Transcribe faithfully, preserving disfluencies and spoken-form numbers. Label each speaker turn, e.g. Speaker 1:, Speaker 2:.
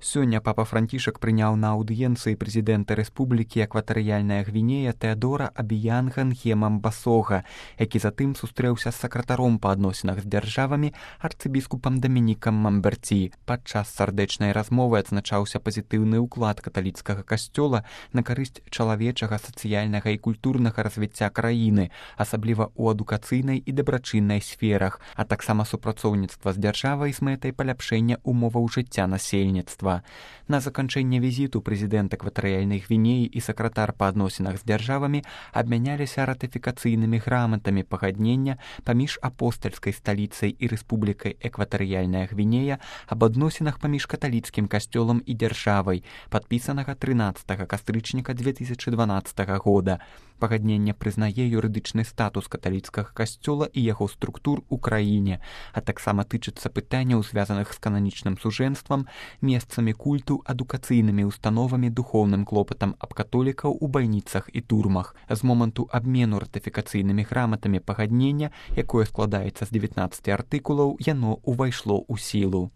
Speaker 1: Сёння папа Францішак прыняў на аўдыенцыі прэзідэнта Рэспублікі Экватарыяльная Гвінея Тэадора Абіянга Нхема Мбасога, які затым сустрэўся з сакратаром па адносінах з дзяржавамі арцыбіскупам Дамінікам Мамберці. Падчас сардэчнай размовы адзначаўся пазітыўны ўклад каталіцкага касцёла на карысць чалавечага, сацыяльнага і культурнага развіцця краіны, асабліва ў адукацыйнай і дабрачыннай сферах, а таксама супрацоўніцтва з дзяржавай з мэтай паляпшэння умоваў жыцця насельніцтва. На заканчэнне візіту прэзідэнт Экватарыяльнай Гвінеі і сакратар па адносінах з дзяржавамі абмяняліся ратыфікацыйнымі граматамі пагаднення паміж апостальскай сталіцай і Рэспублікай Экватарыяльная Гвінея аб адносінах паміж каталіцкім касцёлам і дзяржавай, падпісанага трынаццатага кастрычніка дзве тысячы дванаццатага года. Пагадненне прызнае юрыдычны статус каталіцкага касцёла і яго структур у краіне, а таксама тычыцца пытанняў, звязаных з кананічным сужэнствам, месцамі культу, адукацыйнымі установамі, духоўным клопатам аб католікаў у бальніцах і турмах. З моманту абмену ратыфікацыйнымі граматамі пагаднення, якое складаецца з дзевятнаццаці артыкулаў, яно ўвайшло ў сілу.